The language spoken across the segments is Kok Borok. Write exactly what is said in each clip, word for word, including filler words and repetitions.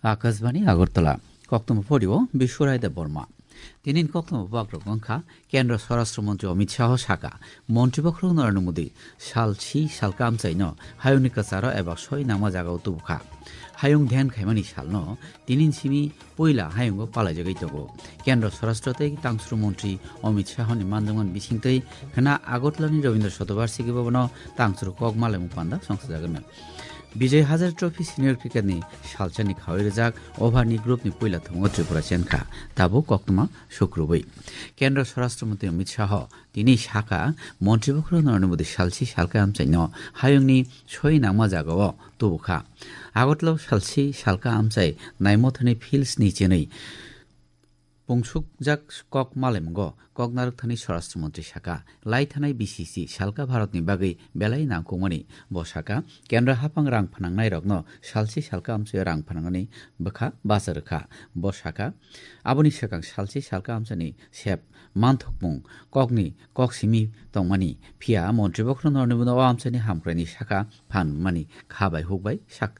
Akashbani Agartala, koktwma phorio Biswaraida Borma. Tinin koktwma bagrok wngkha, Kendra Swarashtra Mantri Amit Shah saka, Mantri Bokhorok Narendra Modi sal si salka amchaino hayungni kwcharo eba soi nangma jagao tubukha. Hayung dhyan khaimani salno tinin simi puila hayungo palaijagwi tongo. Kendra Swarashtra tei Tangsuru Mantri Amit Shahni manjakmani bisingtwi khna Agartalani Rabindra Shatobarshiki Bhavanno tangsuru kok malaimung panda songsajaganw. Vijay Hazare Trophy Senior Cricket ni salsani khawi rijak over ni group ni puila thungo Tripura chenkha. Tabuk koktwma sukrubwi. Kendra Swarashtra Mantri Amit Shah tini saka, Mantri Bokhorok Narendra Modi salsi salka amchaino hayungni soi nangma jagao tubukha. Agartala salsi salka amchai naimothani fields ni chenwi pungsukjak kok malaimungo kok narwkthani Swarashtra Mantri saka, lai thanai B C C salka Bharatni bagwi belai nangkukmani. Bo saka, Kendra haphang rang phnangnairokno salsi salka amchaio rang phnangani bwkha bacha rwkha. Bo saka, aboni swkang salsi salka amchaini sep manthokmung kokni kok simi tongmani, phiya Mantri Bokhorok Narendra Modi o amchaini hamkraini saka phan mani kha bai huk bai sak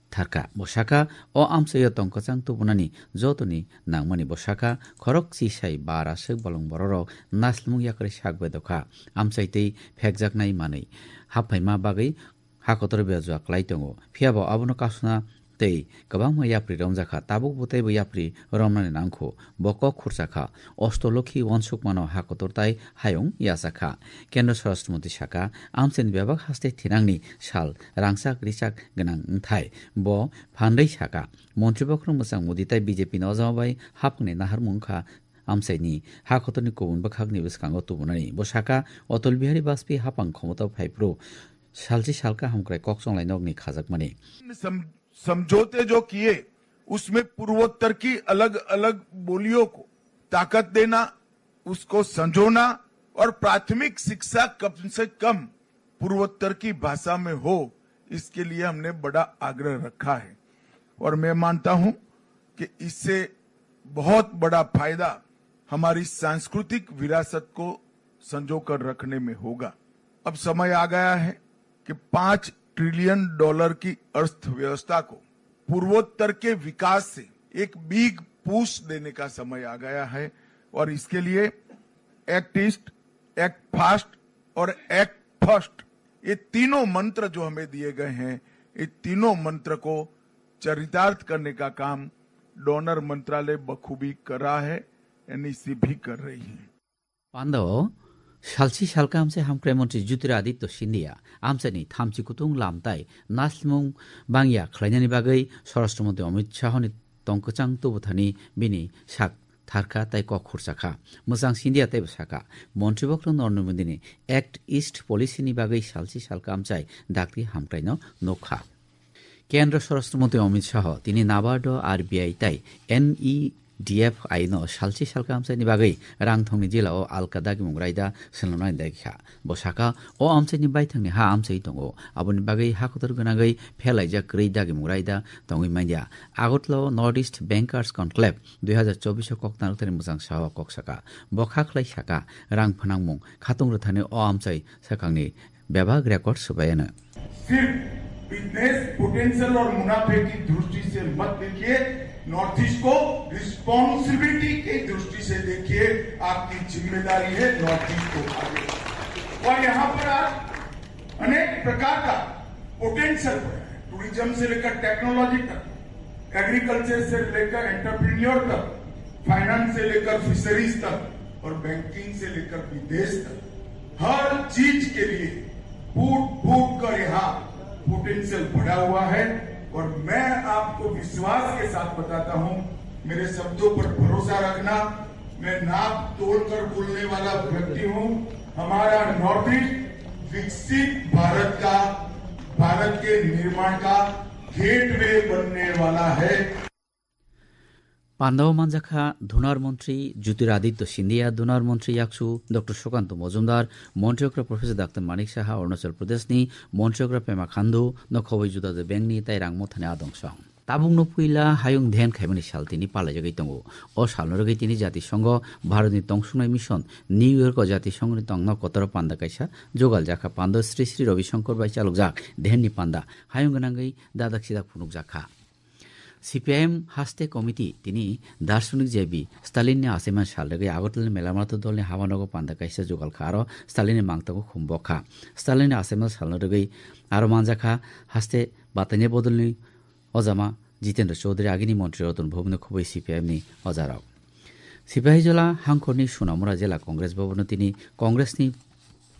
tharka. Bo saka, o amchaio tong kwchang tubunani jotoni nangmani. Bo saka, khorok chisai bar aswk bolong bororok naslimung yakarwi sak bedokha. Amchai tei phekjaknai manwi haphaima bagwi ha kotor bejua klai tongo. Phiyabo abono kasuna tei kwbangma yapri romjakha. Tabuk bo teibo yapri romnani nangkho. Bo kok khurchakha. Ostolokhi uansukmano ha kotor tai hayung yachakha. Kendra Swarashtra Mantri saka, amchaini bebak haste thinangni sal rangchak richak gwnang wngthai. Bo phanrwi saka, Mantri Bokhorok Mwchang Modi tai B J P ni ojama bai haphangni naharmung wngkha amchaini. Ha kotorni kubun bwkhakni bwskango tubunani. Bo saka, Atal Bihari Vajpayee haphang khomotao phaiphuru salsi salka hamkrai kok chonglai nokni khajakmani. समझौते जो किए, उसमें पूर्वोत्तर की अलग-अलग बोलियों को ताकत देना, उसको संजोना और प्राथमिक शिक्षा कम से कम पूर्वोत्तर की भाषा में हो, इसके लिए हमने बड़ा आग्रह रखा है। और मैं मानता हूं कि इससे बहुत बड़ा फायदा हमारी सांस्कृतिक विरासत को संजो कर रखने में होगा। अब समय आ गया है कि पाँच ट्रिलियन डॉलर की अर्थव्यवस्था को पूर्वोत्तर के विकास से एक बिग पुश देने का समय आ गया है और इसके लिए एक्ट ईस्ट, एक्ट फास्ट और एक्ट फर्स्ट, ये तीनों मंत्र जो हमें दिए गए हैं, ये तीनों मंत्र को चरितार्थ करने का काम डोनर मंत्रालय बखूबी कर रहा है, एनईसी भी कर रही है। Pandao salsi salka amchai hamkrai mantri Jyotiraditya Scindia amchaini thamchi kutung lam tai naslimung bangya khlainani bagwi Swarashtra Mantri Amit Shahni tong kwchang tubuthani bini sak tharkha tai kok khurchakha. Mwchang Scindia teibo saka, Mantri Bokhorok Narendra Modini Act East Policy ni bagwi salsi salka amchai dakti hamkraino nukha. Kendra Swarashtra Mantri Amit Shah tini NABARD, R B I tai N E D F I no salsi salka amchaini bagwi rang thongni jila o alka dagimung raida swnamnai dagikha. Bo saka, o amchaini baithangni ha amchai tongo, aboni bagwi ha kotor gwnangwi phelaijak kwrwi dagimung raida tongwi manya. Agartala o North East Bankers Conclave dui hazar chobbish o kok narwkthani mwchang saha o kok saka. Bo kha khlai saka, rang phnangmung khatung rwthani o amchai swkangni bebak record swbai ano. सिर्फ business potential और मुनाफे की दृष्टि से मत देखिए, north east को रिस्पॉन्सिबिलिटी की दृष्टि से देखिए। आपकी जिम्मेदारी है नॉर्थ ईस्ट को आगे बढ़ाना। और यहाँ पर आज अनेक प्रकार का पोटेंशियल पड़ा है, टूरिज्म से लेकर टेक्नोलॉजी तक, एग्रीकल्चर से लेकर एंटरप्रेन्योर तक, फाइनेंस से लेकर फिशरीज तक और बैंकिंग से लेकर विदेश तक, हर चीज के लिए फूट फूट कर यहाँ पोटेंशियल बढ़ा हुआ है। और मैं आपको विश्वास के साथ बताता हूँ, मेरे शब्दों पर भरोसा रखना, मैं नाप तोल कर बोलने वाला व्यक्ति हूँ। हमारा नॉर्थ ईस्ट विकसित भारत का, भारत के निर्माण का गेटवे बनने वाला है। Pandao manjakha Dhunar Mantri Jyotiraditya Scindia, Dhunar Mantri Yaksu Doctor Sukanta Mojumdar, Mantri Okra Professor Doctor Manik Saha, Arunachal Pradesh ni Mantri Okra Pema Khandu, no khoboi juda juda bank ni tai rang mothani adong song. Tabukno puila hayung dhyan khaimani sal tini palaijagwi tongo. O salno rwgwi tini Jatisongho Bharatni tongsuknai mission New York o Jatisonghoni tongno kotoro panda kaisa jugaljakha. Pando Sri Sri Ravi Shankar bai chalokjak dhyanni panda hayung gwnangwi dadak sidak phunukjakha. C P I M haste committee tini Darshanik J B Stalin ni achaima sal rwgwi Agartala ni Melamartha dol ni habanogo panda kaisa jugal kha, aro Stalin ni mangtago khum bok kha. Stalin ni achaima sal rwgwi aro manjakha haste batanya bodol ni ojama Jitendra Chaudhary, agini montri Ratan Bhubani khubui C P I M ni ojarok. Sipahijola hangkhorni Sunamura Jela Congress Bhavan-o tini Congress ni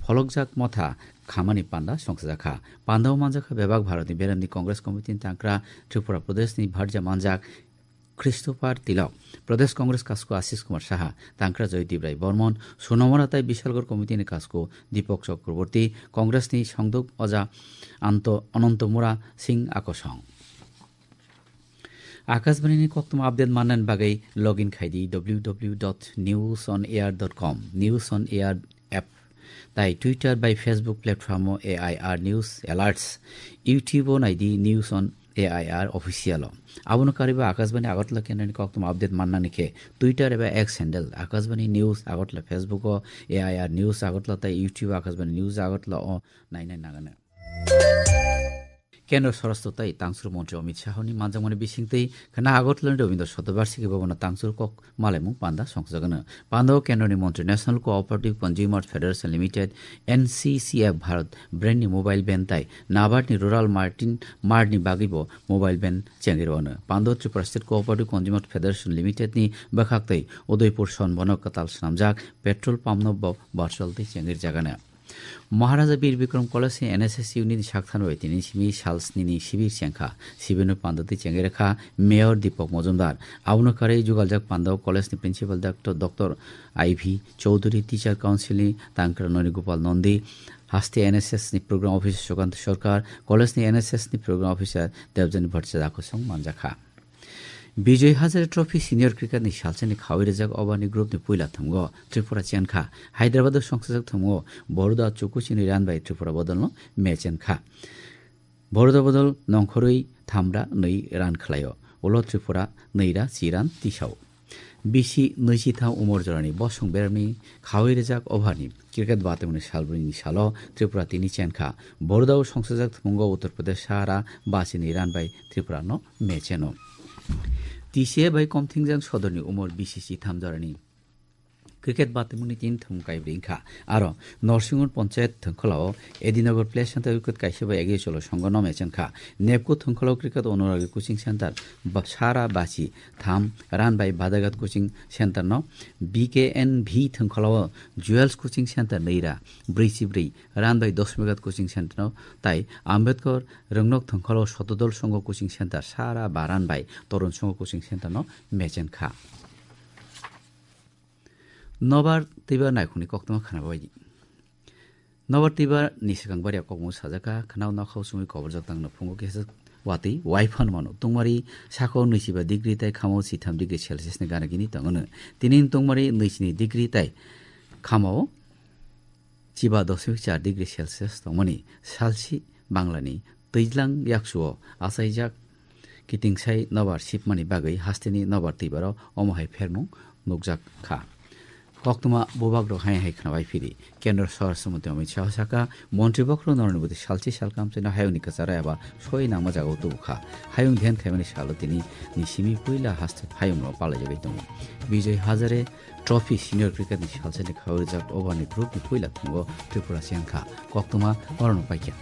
pholokjak motha khamani panda songchajakha. Pandao manjakha bebak Bharatni beramni Congress Committee ni tangkra Tripura Pradesh ni bharja manjak Christopher Tilok, Pradesh Congress kasku Ashish Kumar Saha, tangkra Joydeep Rai Bormon, Sunamura tai Bishalgarh Committee ni kasku Deepak Chakraborty, Congress ni songduk oja Anto, Anantamura Singh Akosong. Akashbani ni koktwma update mannani bagwi login khai di W W W dot news on air dot com, News on Air app, tai Twitter bai Facebook platform o A I R News Alerts, YouTube o nai di News on A I R Official o. Abono karwi bo Akashbani Agartala kendroni koktwma update mannani khe Twitter eba X handle Akashbani News Agartala, Facebook o A I R News Agartala tai YouTube Akashbani News Agartala o nainai nangano. Kendra Swarashtra tai Tangsur Montri Amit Shahani manjakmani bisingtwi khna Agartala ni Rabindra Shatobarshiki Bhavan o Tangsur kok malaimung panda songchajagano. Panda o Kendra ni Montri National Cooperative Consumer Federation Limited, N C C F, Bharat brand ni mobile van tai NABARD ni Rural Martin Mart ni bagwi bo mobile van chengwi rwno. Panda o Tripura State Cooperative Consumer Federation Limited ni bwkhak twi Udaipur Sonbono kwtal swnamjak petrol pump no bo virtual twi chengwi rwjagano. Maharaja Bir Bikram College ni N S S unit ni sakthano bai tini simi sal snini sibir chengkha. Sibirno panda twi chengwi rwkha Mayor Deepak Majumdar. Abono karwi jugaljak panda o college ni principal doctor, Doctor I V Chowdhury, Teacher Council ni tangkra Noni Gopal Nandi, haste N S S ni program officer Sukant Sarkar, college ni N S S ni program officer Debjani Bhattacharya kosong manjakha. Bijoy Hazare Trophy Senior Cricket ni salsani khawi rijak over ni group ni puila thumgo Tripura chenkha. Hyderabad o songchajak thumgo Baroda chuku chini run bai Tripura bodolno match chenkha. Baroda bodol nongkhorwi thamra nwi run khlaio. Ulo Tripura nwi ra chi run tisao. Bisi nwichi tham umor jorani bosong beremni khawi rijak over ni cricket batimungni salbrwini salo Tripura tini chenkha. Baroda o songchajak thumgo Uttar Pradesh sahara bachini run bai Tripura no match cheno. T C A bai komthingjak sodorni umor bisi chitham jorani cricket batimungni tin thum kaibrwi wngkha. Aro Norsingur Panchayat thwngkhwlao Edinagar Place Center wicket kaisa bai Agiyachalo Songho no match wngkha. Nepko thwngkhwlao cricket Onuragi Coaching Center ba-, sara bachi tham run bai Badagat Coaching Center no, B K N V thwngkhwlao Jewels Coaching Center nwi ra brwi chi brwi run bai Dosmigat Coaching Center no, tai Ambedkar Rwngnok thwngkhwlao Sotodol Songho Coaching Center sara ba run bai Torun Songho Coaching Center no match wngkha. Nobar twibar naikhungni koktwma khna bai di. Nobar twibar ni swkang baria kokmung sajaka khna o nokhao chumui koborjak tangno phungo kisa watwi wai phan mano. Tungmari sakao nwichiba degree tai khamao chitham degree Celsius ni gana gini tongo no. Tini tungmari nwichini degree tai khamao chiba dosmik char degree Celsius tongmani salsi Banglani twijlang yaksuo achaijak kitingsaui nobar sipmani bagwi hasteni nobar twibaro omo hai phermung nukjak kha. Koktwma bubagrok hai hai khnabai phiri. Kendra Swarashtra Mantri Amit Shah saka, Montri bokhorok norokni bwtwi salchi salkam chwino hayungni kwcharo eba soi nangma jagao tubu kha. Hayung dhyan khaimani salo tini ni simi puila haste hayungno palaijagwi tongo. Bijoy Hazare Trophy Senior Cricket ni salsani khawi rijak over ni group ni puila thwngwi Tripura chengkha. Koktwma norokno paikha.